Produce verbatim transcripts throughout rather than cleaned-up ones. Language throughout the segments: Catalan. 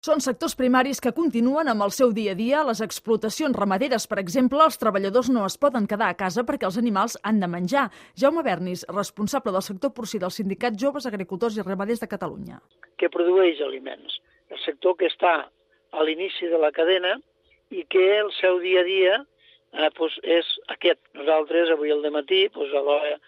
Són sectors primaris que continuen amb el seu dia a dia. Les explotacions ramaderes, per exemple, els treballadors no es poden quedar a casa perquè els animals han de menjar. Jaume Bernis, responsable del sector porcí del Sindicat Joves Agricultors i Ramaders de Catalunya. Que produeix aliments. El sector que està a l'inici de la cadena i que el seu dia a dia eh, doncs és aquest. Nosaltres avui al dematí, doncs a l'hora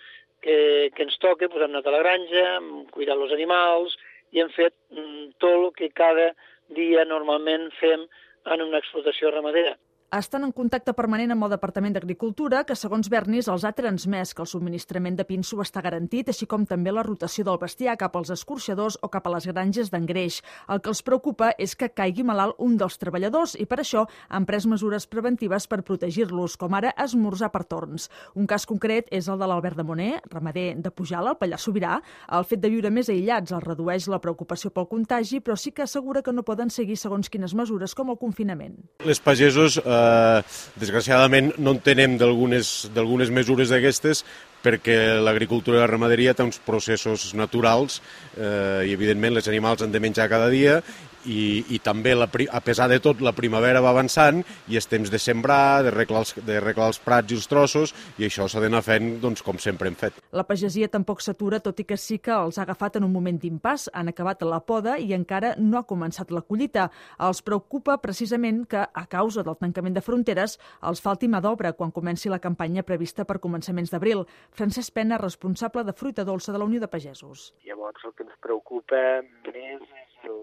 que, que ens toca, doncs hem anat a la granja, hem cuidat els animals i hem fet mm, tot el que cada dia normalment fem en una explotació ramadera. Estan en contacte permanent amb el Departament d'Agricultura, que, segons Bernis, els ha transmès que el subministrament de pinso està garantit, així com també la rotació del bestiar cap als escorxadors o cap a les granges d'engreix. El que els preocupa és que caigui malalt un dels treballadors i per això han pres mesures preventives per protegir-los, com ara esmorzar per torns. Un cas concret és el de l'Albert de Moner, ramader de Pujalt, al Pallars Sobirà. El fet de viure més aïllats els redueix la preocupació pel contagi, però sí que assegura que no poden seguir segons quines mesures, com el confinament. Les pagesos eh, desgraciadament no entenem d'algunes d'algunes mesures d'aquestes perquè l'agricultura i la ramaderia té uns processos naturals eh, i evidentment els animals han de menjar cada dia i, i també la, a pesar de tot la primavera va avançant i és temps de sembrar, de reglar els, de reglar els prats i els trossos i això s'ha d'anar fent doncs, com sempre hem fet. La pagesia tampoc s'atura, tot i que sí que els ha agafat en un moment d'impàs. Han acabat la poda i encara no ha començat la collita. Els preocupa precisament que, a causa del tancament de fronteres, els falti mà d'obra quan comenci la campanya prevista per començaments d'abril. Francesc Pena, responsable de fruita dolça de la Unió de Pagesos. Llavors el que ens preocupa més és el,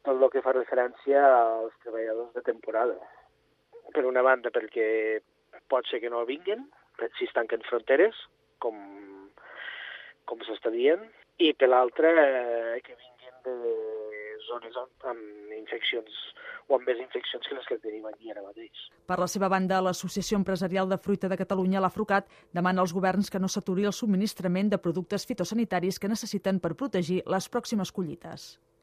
tot el que fa referència als treballadors de temporada. Per una banda perquè pot ser que no vinguen, si es tanquen fronteres, com, com s'està dient, i per l'altra eh, que vinguin de zones amb, amb infeccions o amb més infeccions que les que tenim aquí ara mateix. Per la seva banda, l'Associació Empresarial de Fruita de Catalunya, l'AFRUCAT, demana als governs que no s'aturi el subministrament de productes fitosanitaris que necessiten per protegir les pròximes collites.